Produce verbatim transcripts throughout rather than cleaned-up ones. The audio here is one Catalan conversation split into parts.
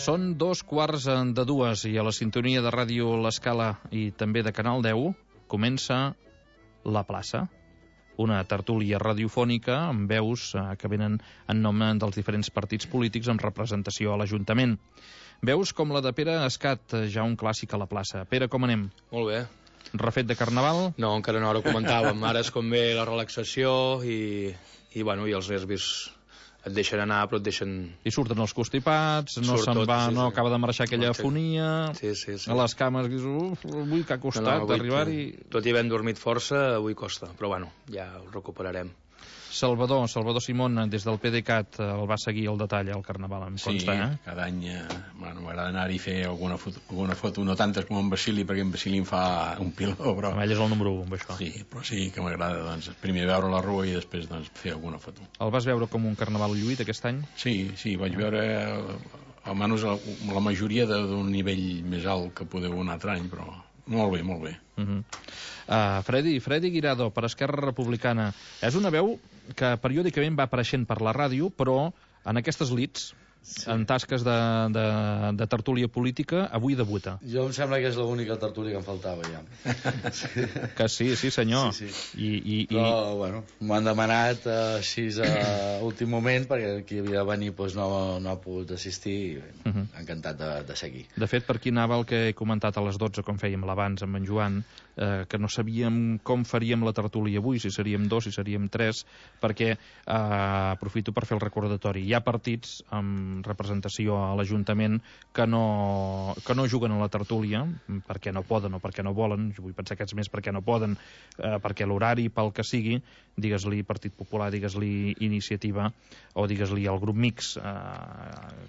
Són dos quarts de dues i a la sintonia de Ràdio L'Escala i també de Canal deu comença La Plaça, una tertúlia radiofònica amb veus que venen en nom dels diferents partits polítics amb representació a l'Ajuntament. Veus com la de Pere Escat, ja un clàssic a la plaça. Pere, com anem? Molt bé. Refet de Carnaval? No, encara no, ara ho comentàvem. Ara és com ve la relaxació i, i, bueno, i els nervis et deixen anar, però et deixen... I surten els constipats, no Surt se'n tot, va, sí, no sí. acaba de marxar aquella Sí. afonia, Sí, sí, sí. a les cames, dius, uf, avui que ha costat No, no, avui, arribar-hi... Tot i havent dormit força, avui costa, però bueno, ja ho recuperarem. Salvador, Salvador Simón, des del PDeCAT, el va seguir al detall al Carnaval, em consta, sí, eh? cada any eh, bueno, m'agrada anar-hi a fer alguna foto, alguna foto, no tantes com en Basili, perquè en Basili em fa un piló, però... Ell és el número un, amb això. Sí, però sí que m'agrada, doncs, primer veure la rua i després doncs, fer alguna foto. El vas veure com un Carnaval lluït aquest any? Sí, sí, vaig veure eh, almenys la, la majoria de- d'un nivell més alt que podeu un altre any, però molt bé, molt bé. Uh -huh. uh, Freddy, Freddy Guirado, per Esquerra Republicana. És una veu que periòdicament va apareixent per la ràdio, però en aquestes lits, sí, en tasques de, de, de tertúlia política, avui debuta. Jo em sembla que és l'única tertúlia que em faltava ja. Sí. Que sí, sí senyor. Sí, sí. I, i, Però, bueno, m'han demanat eh, així a últim moment, perquè qui havia de venir doncs, no, no ha pogut assistir i bé, Uh -huh. encantat de, de seguir. De fet, per aquí anava el que he comentat a les dotze, com fèiem l'abans amb en Joan, eh, que no sabíem com faríem la tertúlia avui, si seríem dos, si seríem tres, perquè, eh, aprofito per fer el recordatori, hi ha partits amb representació a l'Ajuntament que no, que no juguen a la tertúlia, perquè no poden o perquè no volen, jo vull pensar que és més perquè no poden, eh, perquè l'horari, pel que sigui, digues-li Partit Popular, digues-li Iniciativa, o digues-li el grup mix, eh,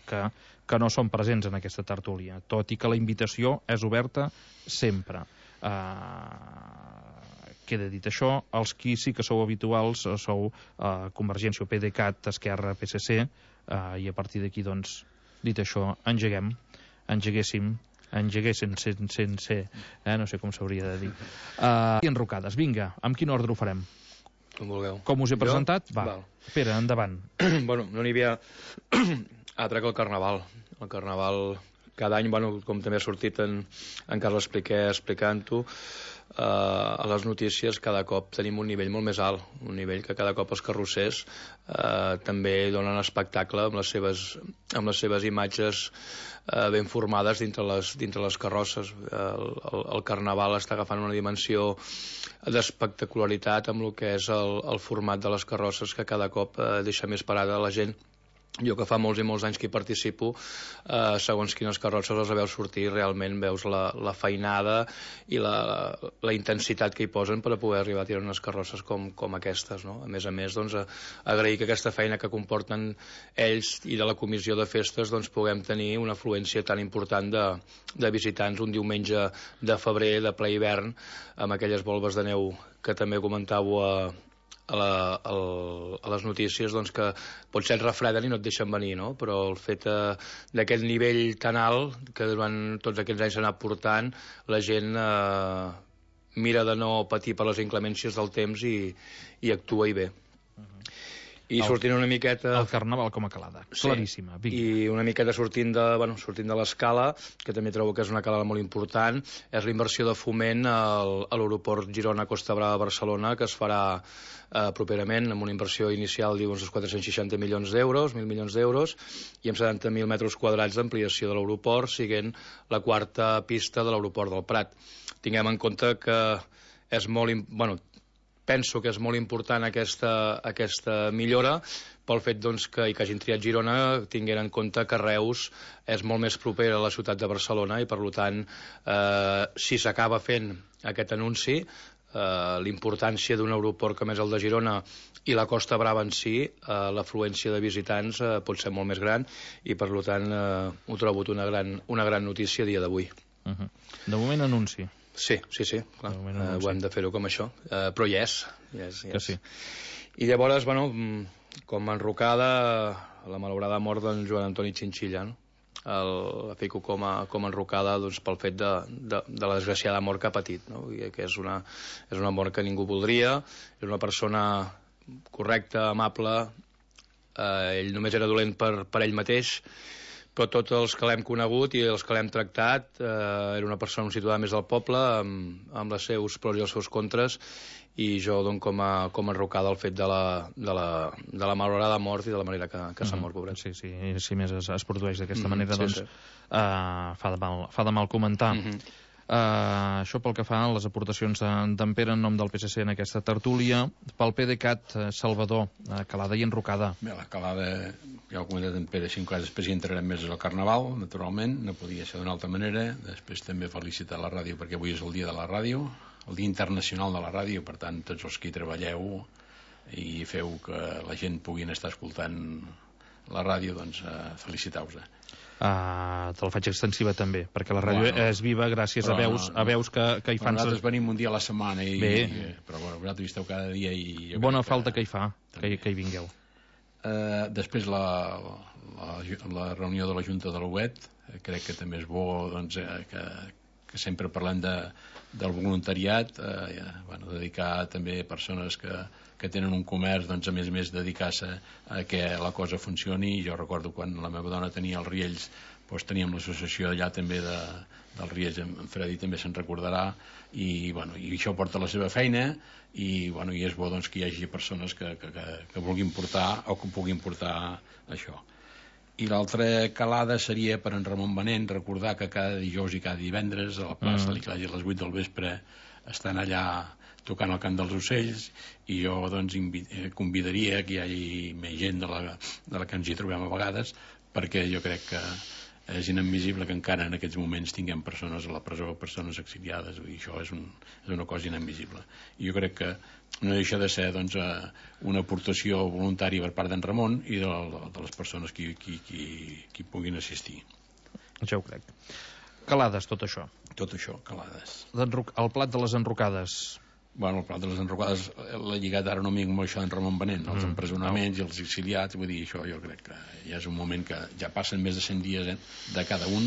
que, que no són presents en aquesta tertúlia, tot i que la invitació és oberta sempre. Uh, queda dit això, els qui sí que sou habituals sou uh, Convergència o PDeCAT, Esquerra, P S C, uh, i a partir d'aquí, doncs, dit això, engeguem, engeguéssim, engeguéssim sense, sense eh, no sé com s'hauria de dir. Uh, I enrocades, vinga, amb quin ordre ho farem? Com vulgueu. Com us he presentat? Jo? Va, Val. Pere, endavant. Bueno, no n'hi havia altre que el Carnaval. El Carnaval, cada any, bueno, com també ha sortit en, en Carles Piqué explicant-ho, eh, a les notícies cada cop tenim un nivell molt més alt, un nivell que cada cop els carrossers eh, també donen espectacle amb les seves, amb les seves imatges eh, ben formades dintre les, dintre les carrosses. El, el, el Carnaval està agafant una dimensió d'espectacularitat amb el que és el, el format de les carrosses, que cada cop eh, deixa més parada la gent. Jo, que fa molts i molts anys que hi participo, eh, segons quines carrosses les veus sortir, realment veus la, la feinada i la, la intensitat que hi posen per a poder arribar a tirar unes carrosses com, com aquestes, no? A més a més, doncs, a, agrair que aquesta feina que comporten ells i de la comissió de festes, doncs, puguem tenir una afluència tan important de, de visitants un diumenge de febrer, de ple hivern, amb aquelles volves de neu que també comentàveu a A, la, a, a les notícies, doncs, que potser et refreden i no et deixen venir, no? Però el fet eh, d'aquest nivell tan alt que durant tots aquests anys s'ha anat portant, la gent eh, mira de no patir per les inclemències del temps i, i actua i bé. I El- sortint una miqueta... El Carnaval com a calada, Sí. claríssima. Vinga. I una miqueta sortint de, bueno, sortint de l'escala, que també trobo que és una calada molt important, és la inversió de foment al, a l'aeroport Girona-Costa Brava-Barcelona, que es farà eh, properament, amb una inversió inicial, diu, uns quatre-cents seixanta milions d'euros, mil milions d'euros, i amb setanta mil metres quadrats d'ampliació de l'aeroport, siguent la quarta pista de l'aeroport del Prat. Tinguem en compte que és molt... im- Bueno, penso que és molt important aquesta, aquesta millora pel fet, doncs, que, i que hagin triat Girona, tinguent en compte que Reus és molt més proper a la ciutat de Barcelona i, per tant, eh, si s'acaba fent aquest anunci, eh, l'importància d'un aeroport com és el de Girona i la Costa Brava en si, eh, l'afluència de visitants eh, pot ser molt més gran i, per tant, eh, ho trobo una gran, una gran notícia a dia d'avui. Uh -huh. De moment, anunci. Sí, sí, sí, clar. De moment, Eh, anunci. ho hem de fer-ho com això, eh, però hi és, hi és, hi Que és. sí. I llavors, bueno, mm, com a enrocada, la malaurada mort d'en Joan Antoni Chinchilla, no? El, la fico com a, com a enrocada, doncs, pel fet de, de, de la desgraciada mort que ha patit, no? I que és una, és una mort que ningú voldria, és una persona correcta, amable, eh, ell només era dolent per, per ell mateix, però tots els que l'hem conegut i els que l'hem tractat, eh, era una persona situada més del poble, amb, amb els seus pros i els seus contres, i jo dono com a, com a enrocada el fet de la, de la, de la malorada mort i de la manera que, que s'ha mort, pobret. Sí, sí, si més es, es produeix d'aquesta Mm, manera, sí, doncs sí. Uh, fa, de mal, fa de mal comentar. Mm -hmm. Uh, això pel que fa a les aportacions d'en Pere en nom del P S C en aquesta tertúlia. Pel PDeCAT, uh, Salvador, uh, Calada i Enrocada. Bé, la calada, ja ho ha comentat en Pere, cinc coses, després hi entrarem més al Carnaval, naturalment, no podia ser d'una altra manera. Després també felicitar la ràdio, perquè avui és el dia de la ràdio, el dia internacional de la ràdio, per tant, tots els que hi treballeu i feu que la gent puguin estar escoltant la ràdio, doncs uh, feliciteu-vos. Uh, te la faig extensiva també, perquè la ràdio Bueno, és viva gràcies a veus, no, no. a veus que, que hi fan... Nosaltres venim un dia a la setmana i, Bé. i, però bueno, vosaltres hi esteu cada dia i... jo Bona crec falta que hi fa, que, també. que hi vingueu. Uh, després la, la, la reunió de la Junta de l'U E T, eh, crec que també és bo, doncs, eh, que, que sempre parlem de, del voluntariat, eh, ja, bueno, dedicar també a persones que, que tenen un comerç, doncs a més a més dedicar-se a que la cosa funcioni. Jo recordo quan la meva dona tenia els riells, doncs teníem l'associació allà també de, dels riells, en Freddy també se'n recordarà, i, bueno, i això porta la seva feina, i, bueno, i és bo doncs, que hi hagi persones que, que, que, que vulguin portar o que puguin portar això. I l'altra calada seria per en Ramon Benent, recordar que cada dijous i cada divendres a la plaça mm. a les vuit del vespre estan allà tocant el cant dels ocells, i jo doncs convidaria que hi hagi més gent de la, de la que ens hi trobem a vegades, perquè jo crec que és inadmissible que encara en aquests moments tinguem persones a la presó, persones exiliades, i això és, un, és una cosa inadmissible. I jo crec que no deixa de ser doncs, una aportació voluntària per part d'en Ramon i de, de les persones que, que, que, que puguin assistir. Ja ho crec. Calades, tot això. Tot això, calades. El plat de les enrocades. Bueno, el plat de les enrocades l'ha lligat ara una mica amb això d'en Ramon Benent, els Mm. empresonaments i els exiliats, vull dir, això jo crec que ja és un moment que ja passen més de cent dies eh, de cada un,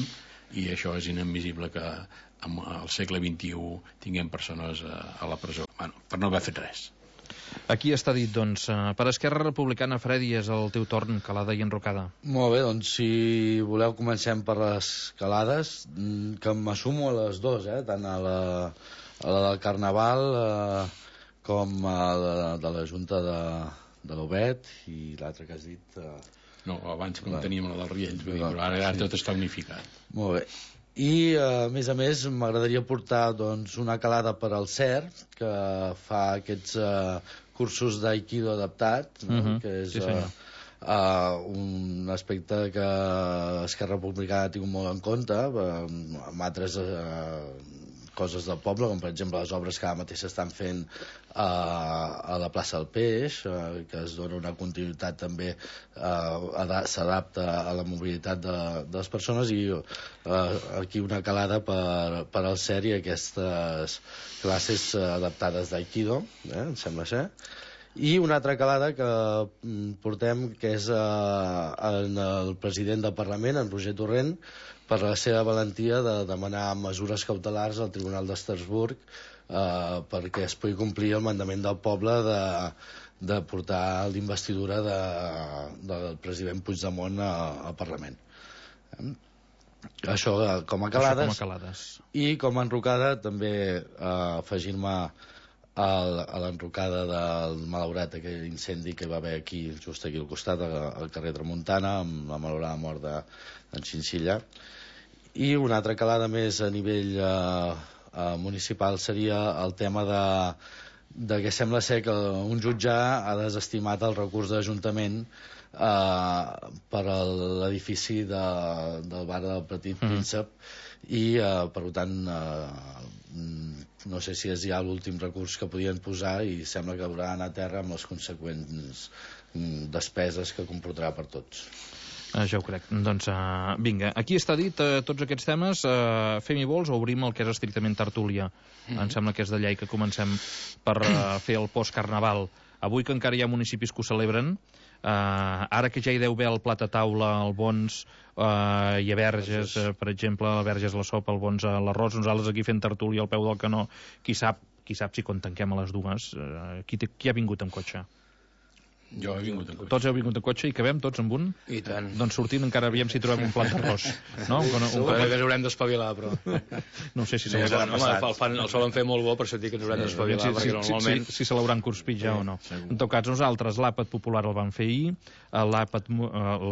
i això és inadmissible que en el segle vint-i-u tinguem persones a, a la presó, bueno, per no haver fet res. Aquí està dit, doncs, per Esquerra Republicana, Freddy, és el teu torn, Calada i Enrocada. Molt bé, doncs si voleu comencem per les calades, que m'assumo a les dues, eh? Tant a la, a la del Carnaval eh, com a la de la Junta de, de l'U E T i l'altre que has dit... Eh... No, abans com teníem la dels Riells, vull dir, però ara, ara sí. tot està unificat. Molt bé. I, a més a més, m'agradaria portar doncs, una calada per al C E R, que fa aquests uh, cursos d'aikido adaptat, no? Uh-huh. Que és Sí, uh, uh, un aspecte que Esquerra Republicana ha tingut molt en compte, uh, amb altres uh, coses del poble, com per exemple les obres que ara mateix s'estan fent uh, a la plaça del Peix, uh, que es dona una continuïtat també, uh, s'adapta a la mobilitat de, de les persones, i uh, aquí una calada per, per al C E R i aquestes classes uh, adaptades d'aikido, eh, em sembla ser. I una altra calada que mm, portem, que és uh, en el president del Parlament, en Roger Torrent, per la seva valentia de demanar mesures cautelars al Tribunal d'Estrasburg eh, perquè es pugui complir el mandament del poble de, de portar l'investidura de, del president Puigdemont a, al Parlament. Eh? Això eh, com a calades. Això com a calades. I com a enrocada també eh, afegir-me al, a l'enrocada del malaurat aquell incendi que va haver aquí, just aquí al costat, al carrer Tramuntana, amb la malaurada mort d'en Xinxilla. I una altra calada més a nivell eh, eh, municipal seria el tema de, de que sembla ser que un jutge ha desestimat el recurs d'Ajuntament eh, per a l'edifici de, del bar del Petit mm. Príncep, i eh, per tant eh, no sé si és ja l'últim recurs que podien posar, i sembla que haurà d'anar a terra amb les conseqüents despeses que comportarà per tots. Uh, ja ho crec. Doncs uh, vinga, aquí està dit uh, tots aquests temes. Uh, fem-hi vols o obrim el que és estrictament tertúlia? Mm-hmm. Em sembla que és de llei que comencem per uh, fer el post-carnaval. Avui que encara hi ha municipis que ho celebren, uh, ara que ja hi deu haver el plat a taula, el Bons uh, i a Verges, uh, per exemple, a Verges la sopa, el Bons a l'arròs, nosaltres aquí fent tertúlia al peu del canó, qui sap, qui sap si quan tanquem a les dues, uh, qui, té, qui ha vingut amb cotxe? Jo he vingut en cotxe. Tots heu vingut en cotxe i cabem tots amb un? I tant. Doncs sortint encara aviam si trobem un plat d'arròs. No? Un, un, Un cop que ens haurem d'espavilar, però... No sé si se Sí, l'hauran bueno, home, el, fan, el solen fer molt bo, per això dic que ens haurem d'espavilar, si, perquè si, normalment... si, si se l'hauran conspit ja o no. En tot cas, nosaltres l'àpat popular el vam fer ahir, l'àpat,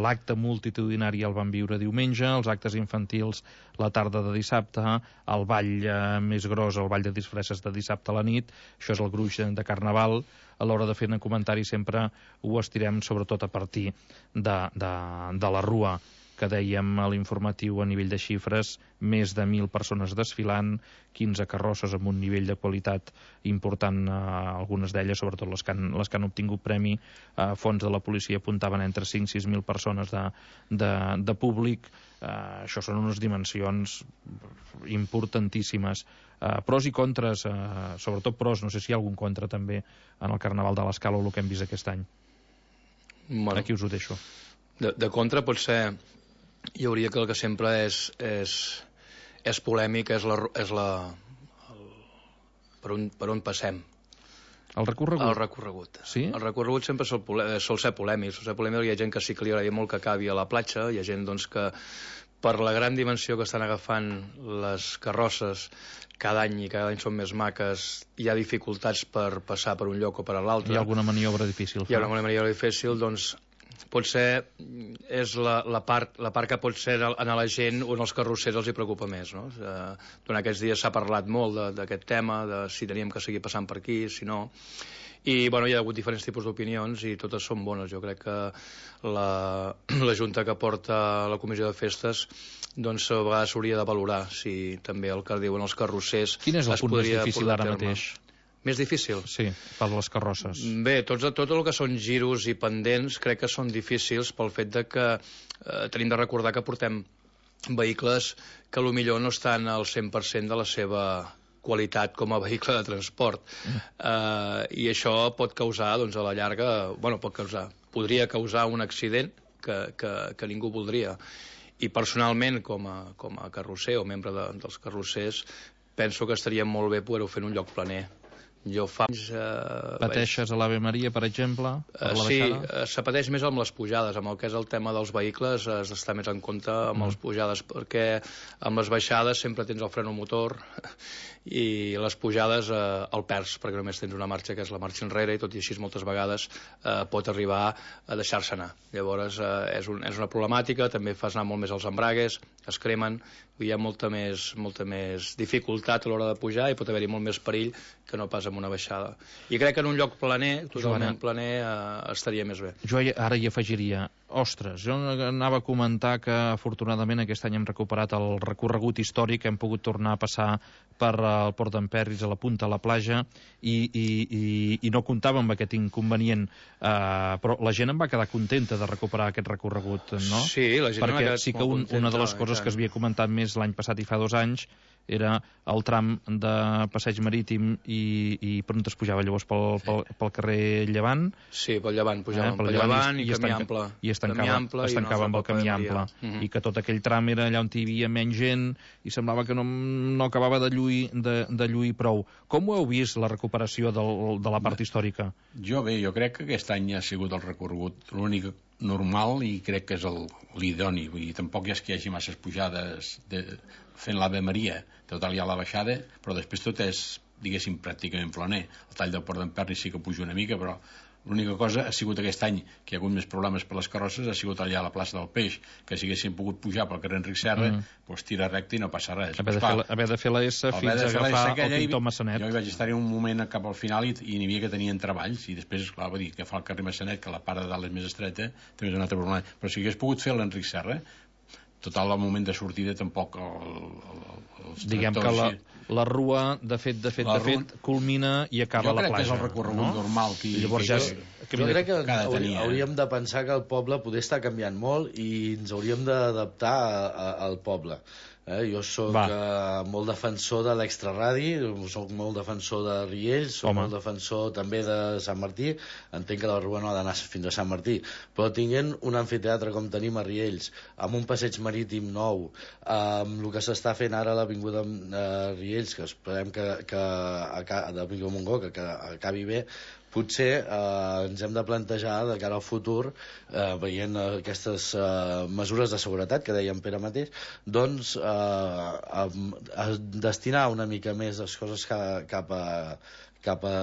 l'acte multitudinari el vam viure diumenge, els actes infantils la tarda de dissabte, el ball eh, més gros, el ball de disfresses de dissabte a la nit, això és el gruix de Carnaval. A l'hora de fer un comentari sempre ho estirem sobretot a partir de, de, de la rua, que dèiem a l'informatiu a nivell de xifres, més de mil persones desfilant, quinze carrosses amb un nivell de qualitat important, eh, algunes d'elles, sobretot les que han, les que han obtingut premi, eh, fons de la policia apuntaven entre cinc i sis mil persones de, de, de públic. Eh, això són unes dimensions importantíssimes. Eh, pros i contres, eh, sobretot pros, no sé si hi ha algun contra també en el Carnaval de l'Escala o el que hem vist aquest any. Bueno, aquí us ho deixo. De, de contra pot ser, hi hauria que el que sempre és, és, és polèmic, és la, és la el, per, on, per on passem. El recorregut? El recorregut. Sí? El recorregut sempre sol, sol ser polèmic. Sol ser polèmic, hi ha gent que sí que li agrada molt que acabi a la platja, hi ha gent doncs, que per la gran dimensió que estan agafant les carrosses cada any, i cada any són més maques, hi ha dificultats per passar per un lloc o per l'altre. Hi ha alguna maniobra difícil. Hi ha alguna maniobra difícil, doncs potser és la, la, part, la part que pot ser a la gent on els carrossers els hi preocupa més, no? Eh, durant aquests dies s'ha parlat molt d'aquest tema, de si teníem que seguir passant per aquí, si no... I bueno, hi ha hagut diferents tipus d'opinions i totes són bones. Jo crec que la, la Junta que porta la Comissió de Festes doncs a vegades s'hauria de valorar si també el que diuen els carrossers... Quin és el punt més difícil ara mateix? Més difícil? Sí, per les carrosses. Bé, tots, tot el que són giros i pendents crec que són difícils pel fet de que eh, tenim de recordar que portem vehicles que potser no estan al cent per cent de la seva qualitat com a vehicle de transport. Mm. Uh, I això pot causar, doncs, a la llarga, bueno, pot causar, podria causar un accident que, que, que ningú voldria. I personalment, com a, com a carrosser o membre de, dels carrossers, penso que estaria molt bé poder-ho fer en un lloc planer. Jo fa anys... Eh, Pateixes vaig... a l'Ave Maria, per exemple? Per uh, la sí, baixada? uh, se pateix més amb les pujades. Amb el que és el tema dels vehicles has d'estar més en compte amb mm. les pujades, perquè amb les baixades sempre tens el freno motor i les pujades eh, el perds, perquè només tens una marxa que és la marxa enrere, i tot i així moltes vegades eh, pot arribar a deixar-se anar. Llavors eh, és, un, és una problemàtica, també fas anar molt més els embragues, es cremen, hi ha molta més, molta més dificultat a l'hora de pujar i pot haver-hi molt més perill que no pas amb una baixada. I crec que en un lloc planer, totalment Joana, planer, eh, estaria més bé. Jo ara hi afegiria, ostres, jo anava a comentar que afortunadament aquest any hem recuperat el recorregut històric, hem pogut tornar a passar per el Port d'en Perris, a la punta, a la platja, i, i, i, i no comptava amb aquest inconvenient, uh, però la gent em va quedar contenta de recuperar aquest recorregut, no? Sí, la gent perquè m'ha quedat sí que un, una de les coses que es havia comentat més l'any passat i fa dos anys era el tram de passeig marítim i, i per on es pujava llavors pel, pel, pel carrer Llevant. Sí, pel Llevant, pujàvem eh, pel, pel Llevant i, i camí ample. I es tancava, ample, es tancava amb el camí ample. Uh -huh. I que tot aquell tram era allà on hi havia menys gent i semblava que no, no acabava de lluir, de, de lluir prou. Com ho heu vist, la recuperació del, de la part bé, històrica? Jo bé, jo crec que aquest any ha sigut el recorregut l'únic normal i crec que és l'idoni. Vull dir, tampoc és que hi hagi masses pujades de, fent l'Ave Maria, total hi ha la baixada, però després tot és, diguéssim, pràcticament planer. El tall del Port d'en Perris sí que puja una mica, però l'única cosa ha sigut aquest any que hi ha hagut més problemes per les carrosses, ha sigut allà a la plaça del Peix, que si haguéssim pogut pujar pel carrer Enric Serra, mm. doncs tira recte i no passa res. Haver de, fer la, haver de fer la S fins a agafar el Pintor Massanet. Jo hi vaig estar-hi un moment cap al final i, i n'hi havia que tenien treballs, i després, clar, va dir que fa el carrer Massanet, que la part de dalt és més estreta, també és un altre problema. Però si hagués pogut fer l'Enric Serra, total, al moment de sortida tampoc el, el, els diguem que la, la rua de fet, de fet, de fet culmina i acaba a la platja. Jo crec que és el recorregut no? normal que, llavors que, ja és, que, jo crec que hauríem, hauríem de pensar que el poble poder estar canviant molt i ens hauríem d'adaptar al poble. Eh? Jo soc uh, molt defensor de l'extraradi, soc molt defensor de Riells, soc Home. molt defensor també de Sant Martí. Entenc que la Rua no ha d'anar fins a Sant Martí, però tinguent un amfiteatre com tenim a Riells, amb un passeig marítim nou, amb el que s'està fent ara a l'Avinguda uh, Riells, que esperem que, que de l'Avinguda Montgó, que, que acabi bé, potser eh, ens hem de plantejar de cara al futur, eh, veient aquestes eh, mesures de seguretat que deia en Pere mateix, doncs eh, a, a destinar una mica més les coses ca, cap a cap a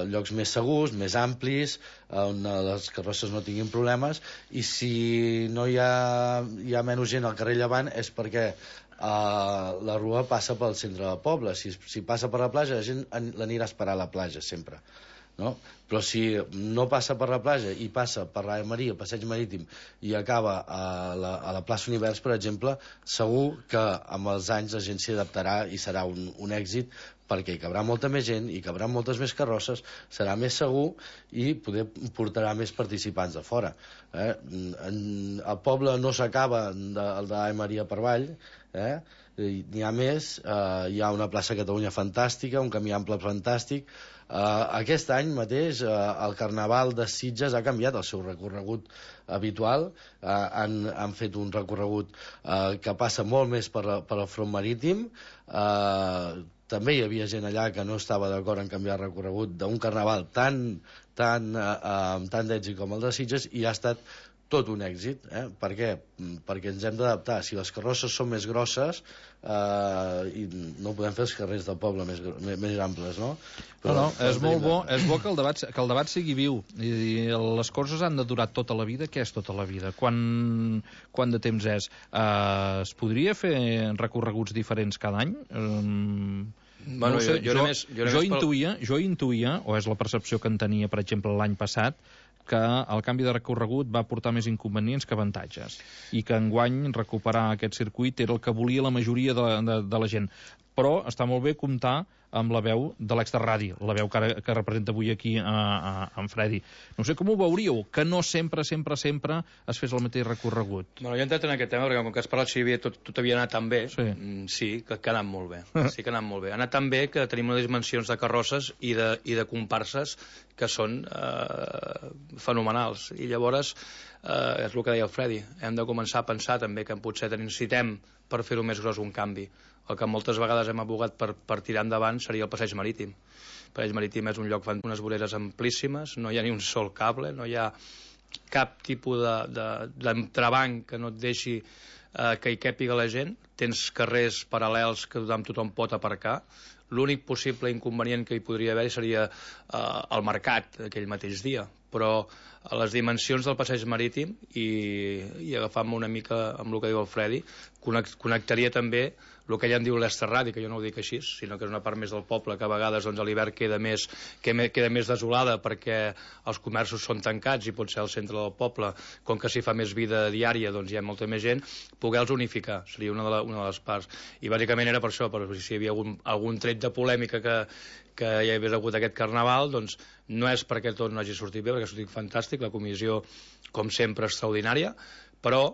llocs més segurs, més amplis, on les carrosses no tinguin problemes, i si no hi ha, hi ha menys gent al carrer Llevant és perquè Uh, la Rua passa pel centre del poble. Si, si passa per la platja, la gent l'anirà a esperar a la platja sempre, no? Però si no passa per la platja i passa per la Maria, el passeig marítim, i acaba a la, a la plaça Univers, per exemple, segur que amb els anys la gent s'hi adaptarà i serà un, un èxit, perquè hi cabrà molta més gent, hi cabrà moltes més carrosses, serà més segur i poder portarà més participants de fora. Eh? En, el poble no s'acaba el de la Maria per avall, eh? N'hi ha més, eh, hi ha una plaça Catalunya fantàstica, un camí ample fantàstic. Uh, aquest any mateix uh, el Carnaval de Sitges ha canviat el seu recorregut habitual, uh, han, han fet un recorregut uh, que passa molt més per, per el front marítim. Uh, també hi havia gent allà que no estava d'acord en canviar el recorregut d'un Carnaval tan, tan, uh, uh, tan d'èxit com el de Sitges, i ha estat tot un èxit. Eh? Per què? Perquè ens hem d'adaptar. Si les carrosses són més grosses, eh, i no podem fer els carrers del poble més, més amples, no? Però, no, no, és molt bo, és bo que el debat, que el debat sigui viu. I, i les coses han de durar tota la vida. Què és tota la vida? Quant, quant de temps és? Eh, es podria fer recorreguts diferents cada any? Um... Bueno, no sé, jo, jo, jo, més, jo, jo, intuïa, pel... jo intuïa, o és la percepció que en tenia, per exemple, l'any passat, que el canvi de recorregut va portar més inconvenients que avantatges, i que enguany recuperar aquest circuit era el que volia la majoria de, de, de la gent. Però està molt bé comptar amb la veu de l'extraradi, la veu que, ara, que representa avui aquí a, a, a en Fredi. No sé com ho veuríeu, que no sempre, sempre, sempre es fes el mateix recorregut. Bueno, jo he entrat en aquest tema, perquè com que has parlat si havia, tot, tot havia anat tan bé, sí, mm, sí que, que ha anat molt bé. Sí que ha anat molt bé. Ha anat tan bé que tenim unes dimensions de carrosses i de, i de comparses que són eh, fenomenals. I llavors, eh, és el que deia el Fredi, hem de començar a pensar també que potser necessitem per fer-ho més gros un canvi. El que moltes vegades hem abogat per, per tirar endavant seria el passeig marítim. El passeig marítim és un lloc amb unes voreres amplíssimes, no hi ha ni un sol cable, no hi ha cap tipus d'entrebanc que no et deixi eh, que hi càpiga la gent. Tens carrers paral·lels que tothom, tothom pot aparcar. L'únic possible inconvenient que hi podria haver seria eh, el mercat aquell mateix dia, però a les dimensions del passeig marítim i, i agafant-me una mica amb el que diu el Fredi, connectaria també el que ella en diu l'extraradi, que jo no ho dic així, sinó que és una part més del poble que a vegades doncs, a l'hivern queda, més, queda més desolada perquè els comerços són tancats i potser al centre del poble, com que s'hi fa més vida diària, doncs hi ha molta més gent, poder-los unificar, seria una de, la, una de les parts. I bàsicament era per això, per si hi havia algun, algun tret de polèmica que, que hi hagués hagut aquest Carnaval, doncs no és perquè tot no hagi sortit bé, perquè ha sortit fantàstic, la comissió, com sempre, extraordinària, però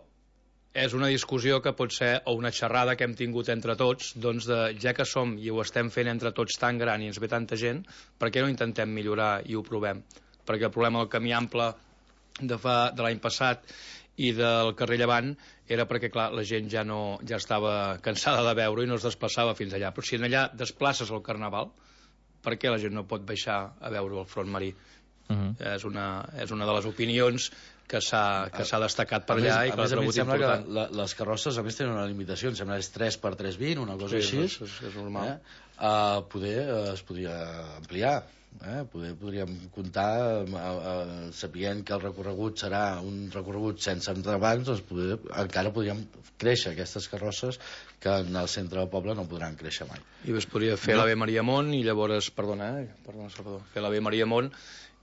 és una discussió que pot ser, o una xerrada que hem tingut entre tots, doncs de, ja que som i ho estem fent entre tots tan gran i ens ve tanta gent, per què no intentem millorar i ho provem? Perquè el problema del camí ample de, fa, de l'any passat i del carrer Llevant era perquè, clar, la gent ja, no, ja estava cansada de veure i no es desplaçava fins allà. Però si en allà desplaces el Carnaval, per què la gent no pot baixar a veure el front marí? Uh-huh. és, una, és una de les opinions que s'ha destacat per allà i que l'ha trobat important. Que la, les carrosses a més tenen una limitació, em sembla que és tres per tres coma vint, una cosa sí, així. És, és normal. Eh? Uh, poder uh, es podria ampliar, eh? poder, podríem comptar uh, uh, sapient que el recorregut serà un recorregut sense entrebancs, doncs poder, encara podríem créixer aquestes carrosses que en el centre del poble no podran créixer mai. I es podria fer no. l'Ave Mariamont i llavors, perdona, eh? perdona Salvador, fer l'Ave Mariamont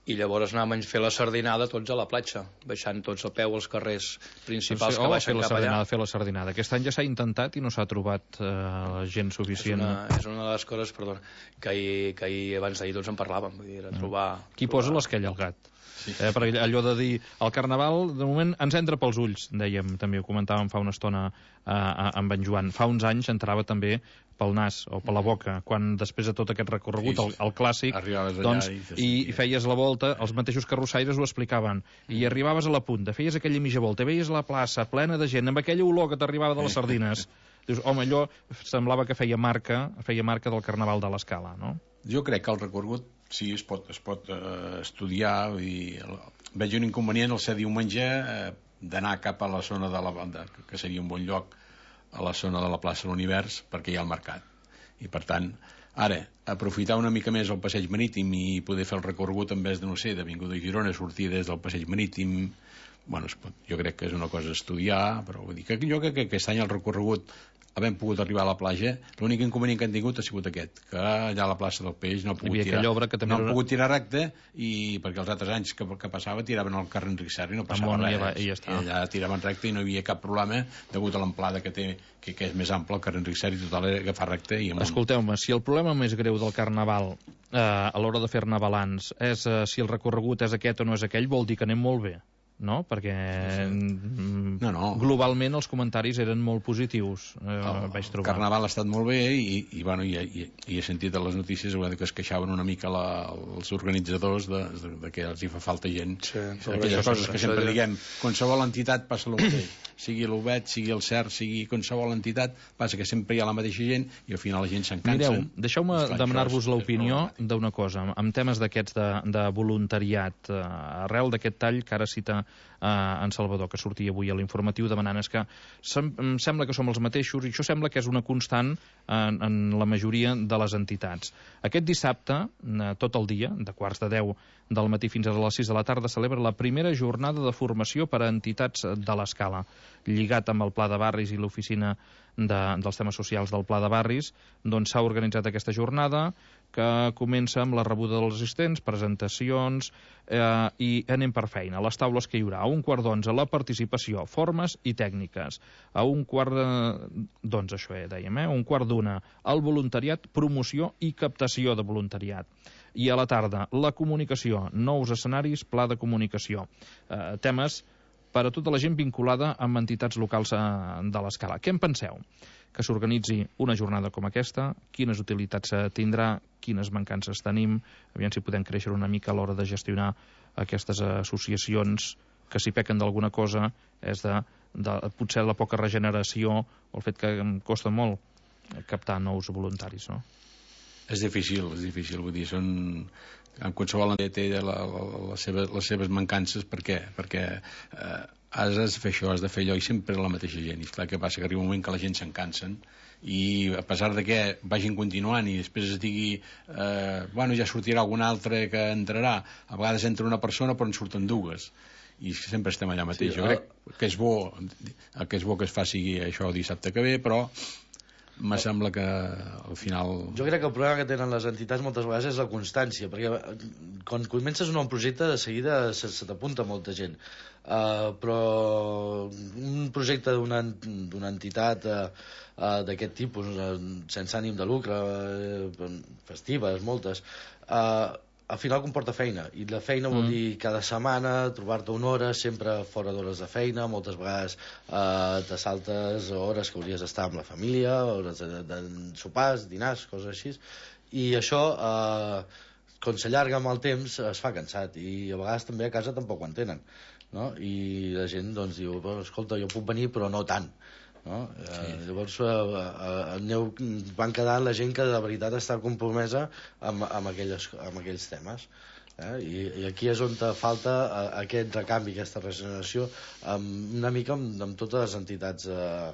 i llavors anàvem a fer la sardinada tots a la platja, baixant tots a peu als carrers principals doncs, que oh, baixen cap allà. Fer la sardinada. Aquest any ja s'ha intentat i no s'ha trobat eh, gent suficient. És una, és una de les coses, perdona, que ahir, que ahir abans d'ahir tots en parlàvem. Vull dir, era trobar... Qui trobar... posa l'esquella al gat? Sí. Eh, perquè allò de dir, el carnaval, de moment, ens entra pels ulls, dèiem, també ho comentàvem fa una estona eh, amb en Joan. Fa uns anys entrava també pel nas o per la boca, quan després de tot aquest recorregut, el, el clàssic, doncs, i, i, i feies la volta, els mateixos carrossaires ho explicaven, i arribaves a la punta, feies aquella mitja volta, veies la plaça plena de gent, amb aquella olor que t'arribava de les sardines. Dius, home, allò semblava que feia marca, feia marca del Carnaval de l'Escala, no? Jo crec que el recorregut sí es pot, es pot eh, estudiar i el, veig un inconvenient el ser diumenge eh, d'anar cap a la zona de la banda, que seria un bon lloc a la zona de la plaça de l'Univers perquè hi ha el mercat i per tant ara aprofitar una mica més el passeig marítim i poder fer el recorregut en vez de no sé, d'Avinguda de Girona, sortir des del passeig marítim, bueno, es pot, jo crec que és una cosa a estudiar, però vull dir que jo crec que aquest any el recorregut havent pogut arribar a la platja, l'únic inconvenient que han tingut ha sigut aquest, que allà a la plaça del Peix no ha pogut tirar, que no han era... pogut tirar recte i perquè els altres anys que, que passava tiraven al carrer Enric Serra i no passava res, va, i, ja i allà tiraven recte i no hi havia cap problema degut a l'amplada que té, que, que és més ample el carrer Enric Serra i total era agafar recte i amunt. Escolteu-me, si el problema més greu del Carnaval eh, a l'hora de fer-ne balanç és eh, si el recorregut és aquest o no és aquell, vol dir que anem molt bé, no? Perquè no, no. globalment els comentaris eren molt positius, eh, el, vaig trobar. El Carnaval ha estat molt bé i, i, bueno, i, i, i he sentit a les notícies que es queixaven una mica la, els organitzadors de, de, de que els hi fa falta gent, sí, aquelles coses que sempre diguem, qualsevol entitat passa el mateix, sigui l'U B E T, sigui el C E R, sigui qualsevol entitat, passa que sempre hi ha la mateixa gent i al final la gent s'encansa. Mireu, deixeu-me demanar-vos l'opinió d'una cosa, amb temes d'aquests de, de voluntariat, eh, arrel d'aquest tall que ara cita eh, en Salvador, que sortia avui a l'informatiu demanant, és que sem em sembla que som els mateixos i això sembla que és una constant en, en la majoria de les entitats. Aquest dissabte, eh, tot el dia, de quarts de deu del matí fins a les sis de la tarda, celebra la primera jornada de formació per a entitats de l'Escala. Lligat amb el Pla de Barris i l'oficina de, dels temes socials del Pla de Barris, doncs s'ha organitzat aquesta jornada que comença amb la rebuda dels assistents, presentacions eh, i anem per feina. A les taules que hi haurà, a un quart d'onze la participació, formes i tècniques. A un quart d'onze, això eh, dèiem, eh? un quart d'una, el voluntariat, promoció i captació de voluntariat. I a la tarda, la comunicació, nous escenaris, pla de comunicació. Eh, temes per a tota la gent vinculada amb entitats locals eh, de l'Escala. Què en penseu? Que s'organitzi una jornada com aquesta, quines utilitats tindrà, quines mancances tenim, aviam si podem créixer una mica a l'hora de gestionar aquestes associacions que si pequen d'alguna cosa és de, de potser la poca regeneració o el fet que em costa molt captar nous voluntaris, no? És difícil, és difícil, vull dir, són... en qualsevol entidad té la, la, la seva, les seves mancances. Per què? Perquè eh, has de fer això, has de fer allò i sempre la mateixa gent, i clar que passa que arriba un moment que la gent se'n cansen i a pesar de que vagin continuant i després es digui eh, bueno, ja sortirà algun altre que entrarà, a vegades entra una persona però en surten dues i sempre estem allà mateix. Sí, jo crec que és bo, el que és bo que es faci això dissabte que ve, però me sembla que al final... Jo crec que el problema que tenen les entitats moltes vegades és la constància, perquè quan comences un nou projecte de seguida se, se t'apunta molta gent, uh, però un projecte d'una d'una entitat uh, uh, d'aquest tipus, uh, sense ànim de lucre, uh, festives, moltes, uh, al final comporta feina, i la feina vol dir cada setmana trobar-te una hora sempre fora d'hores de feina, moltes vegades eh, te saltes hores que hauries d'estar amb la família, hores de, de sopars, dinars, coses així, i això eh, quan s'allarga amb el temps es fa cansat, i a vegades també a casa tampoc ho entenen, no? I la gent doncs diu, escolta, jo puc venir però no tant, no? Sí. Eh, llavors eh, eh, aneu, van quedar la gent que de veritat està compromesa amb, amb, aquelles, amb aquells temes, eh? I, i aquí és on te falta eh, aquest recanvi, aquesta regeneració, amb, una mica amb, amb totes les entitats eh,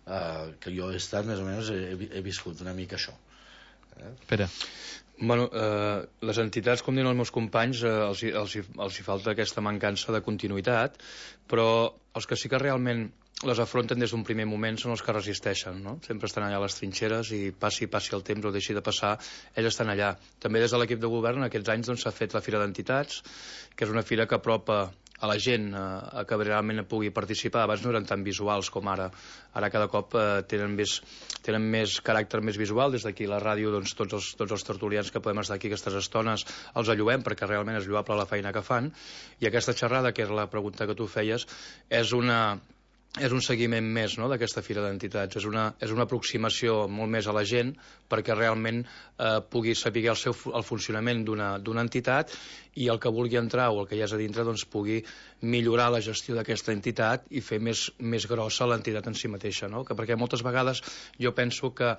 eh, que jo he estat més o menys he, he viscut una mica això, eh? Pere. Bueno, eh, les entitats, com diuen els meus companys, eh, els, els, els hi falta aquesta mancança de continuïtat, però els que sí que realment les afronten des d'un primer moment són els que resisteixen, no? Sempre estan allà a les trinxeres i passi, passi el temps o deixi de passar, ells estan allà. També des de l'equip de govern aquests anys doncs, s'ha fet la Fira d'Entitats, que és una fira que apropa a la gent eh, que realment pugui participar. Abans no eren tan visuals com ara. Ara cada cop eh, tenen, més, tenen més caràcter més visual. Des d'aquí la ràdio, doncs, tots, els, tots els tertulians que podem estar aquí aquestes estones els allowem perquè realment és lloable la feina que fan. I aquesta xerrada, que és la pregunta que tu feies, és una... és un seguiment més, no?, d'aquesta Fira d'Entitats. És una, és una aproximació molt més a la gent perquè realment eh, pugui saber el, seu, el funcionament d'una entitat i el que vulgui entrar o el que hi ha a dintre doncs, pugui millorar la gestió d'aquesta entitat i fer més, més grossa l'entitat en si mateixa, no? Que perquè moltes vegades jo penso que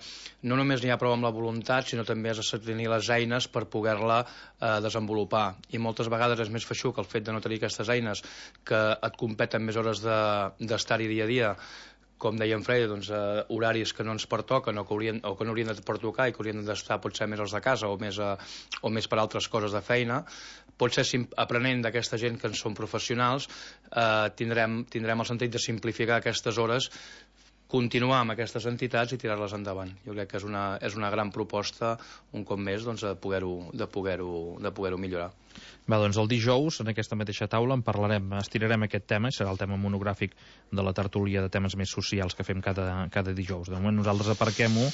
no només n'hi ha prou amb la voluntat, sinó també has de tenir les eines per poder-la eh, desenvolupar. I moltes vegades és més feixuc el fet de no tenir aquestes eines, que et competen més hores d'estar-hi dia a dia, com deia en Freire, doncs, eh, horaris que no ens pertoquen o que, haurien, o que no haurien de pertocar i que haurien d'estar potser més els de casa o més, a, o més per altres coses de feina. Potser aprenent d'aquesta gent que en són professionals eh, tindrem, tindrem el sentit de simplificar aquestes hores, continuar amb aquestes entitats i tirar-les endavant. Jo crec que és una, és una gran proposta, un cop més, doncs, de poder-ho de poder-ho de poder-ho millorar. Va, doncs el dijous, en aquesta mateixa taula, en parlarem, estirarem aquest tema, i serà el tema monogràfic de la tertúlia de temes més socials que fem cada, cada dijous. De moment nosaltres aparquem-ho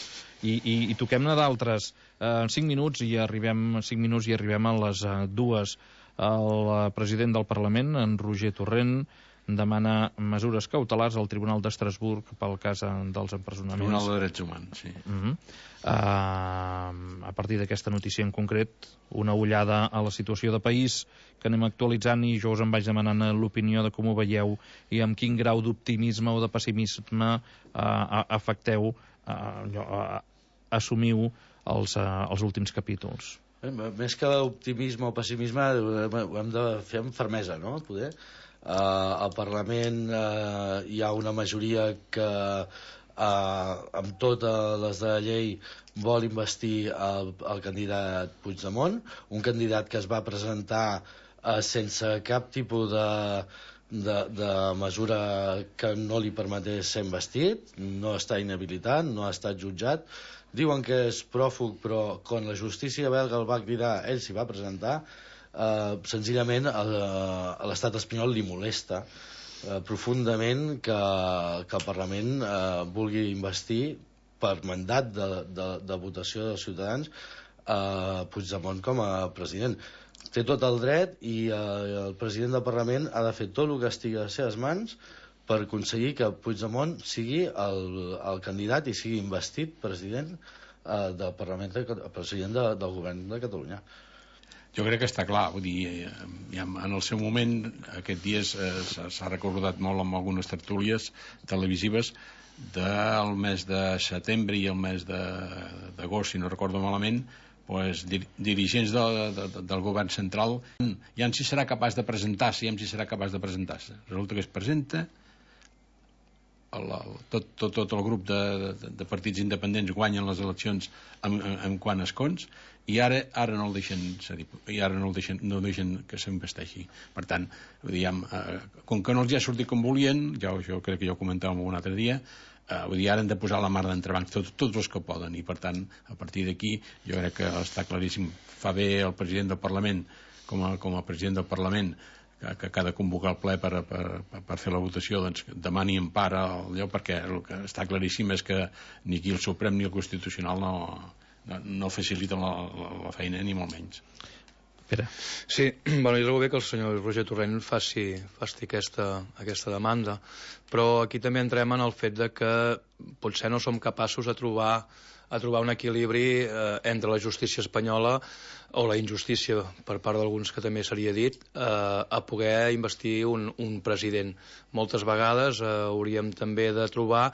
i, i, i toquem-ne d'altres. En cinc minuts i arribem cinc minuts i arribem a les uh, dues. El president del Parlament, en Roger Torrent, demana mesures cautelars al Tribunal d'Estrasburg pel cas dels empresonaments. Tribunal de Drets Humans, sí. Uh -huh. uh, a partir d'aquesta notícia en concret, una ullada a la situació de país que anem actualitzant, i jo us en vaig demanant l'opinió de com ho veieu i amb quin grau d'optimisme o de pessimisme uh, afecteu, uh, uh, assumiu els, uh, els últims capítols. Més que optimisme o pessimisme ho hem de fer amb fermesa, no? Poder Uh, al Parlament uh, hi ha una majoria que uh, amb totes les de la llei vol investir el, el candidat Puigdemont, un candidat que es va presentar uh, sense cap tipus de, de, de mesura que no li permetés ser investit, no està inhabilitat, no ha estat jutjat. Diuen que és pròfug, però quan la justícia belga el va cridar, ell s'hi va presentar. Uh, senzillament uh, a l'estat espanyol li molesta uh, profundament que, que el Parlament uh, vulgui investir per mandat de, de, de votació dels ciutadans uh, Puigdemont com a president. Té tot el dret i uh, el president del Parlament ha de fer tot el que estigui a les seves mans per aconseguir que Puigdemont sigui el, el candidat i sigui investit president uh, del Parlament, de, president de, del govern de Catalunya. Jo crec que està clar, vull dir, ja en el seu moment, aquests dies eh, s'ha recordat molt amb algunes tertúlies televisives del mes de setembre i el mes d'agost, si no recordo malament, pues, dir, dirigents de, de, de, del govern central, ja en si serà capaç de presentar-se, ja en si serà capaç de presentar-se. Resulta que es presenta, el, el, tot, tot, tot el grup de, de, de partits independents guanyen les eleccions amb, amb, amb quant escons, i ara, ara no el deixen i ara no el deixen, no el deixen que s'investeixi. Per tant, diguem, eh, com que no els ha sortit com volien, ja, jo crec que ja ho comentàvem un altre dia, eh, vull dir, ara han de posar la mar d'entrebancs tots, tots els que poden, i per tant, a partir d'aquí jo crec que està claríssim. Fa bé el president del Parlament com a, com a president del Parlament que, que cada convocar el ple per, per, per fer la votació, doncs demani empara allò, perquè el que està claríssim és que ni aquí el Suprem ni el Constitucional no no, no faciliten la, la, la feina, ni molt menys. Pere. Sí, bueno, jo trobo bé que el senyor Roger Torrent faci, faci aquesta, aquesta demanda, però aquí també entrem en el fet de que potser no som capaços de trobar, a trobar un equilibri eh, entre la justícia espanyola o la injustícia, per part d'alguns que també seria dit, eh, a poder investir un, un president. Moltes vegades eh, hauríem també de trobar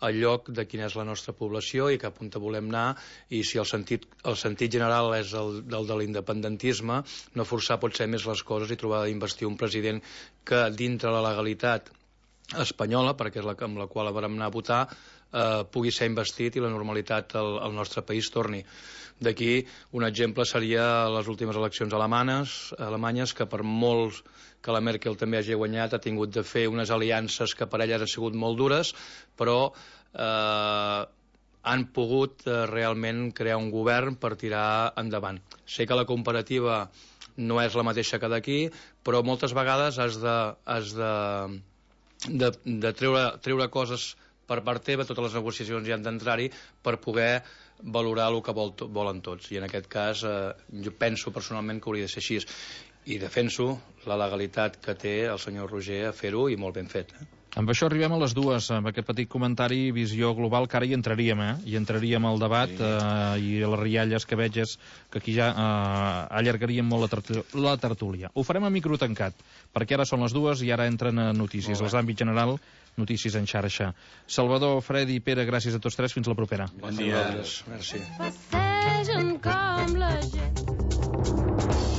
el lloc de quina és la nostra població i cap on volem anar, i si el sentit, el sentit general és el del de l'independentisme, no forçar potser més les coses i trobar d'investir un president que dintre la legalitat espanyola, perquè és la amb la qual vam anar a votar, eh, pugui ser investit i la normalitat al, al nostre país torni. D'aquí un exemple seria les últimes eleccions alemanes, alemanyes, que per molts que la Merkel també hagi guanyat ha tingut de fer unes aliances que per elles han sigut molt dures, però eh, han pogut eh, realment crear un govern per tirar endavant. Sé que la comparativa no és la mateixa que d'aquí, però moltes vegades has de, has de, de, de treure, treure coses per part teva, totes les negociacions hi han d'entrar-hi per poder valorar el que vol, volen tots. I en aquest cas eh, jo penso personalment que hauria de ser així. I defenso la legalitat que té el senyor Roger a fer-ho, i molt ben fet. Eh? Amb això arribem a les dues, amb aquest petit comentari, visió global, que ara hi entraríem, eh? Hi entraríem al debat, sí. eh, i a les rialles que veig és que aquí ja eh, allargaríem molt la, tertúlia, la tertúlia. Ho farem a micro tancat, perquè ara són les dues i ara entren a notícies. Els àmbits general, notícies en xarxa. Salvador, Fredi i Pere, gràcies a tots tres, fins la propera. Bon dia. Merci.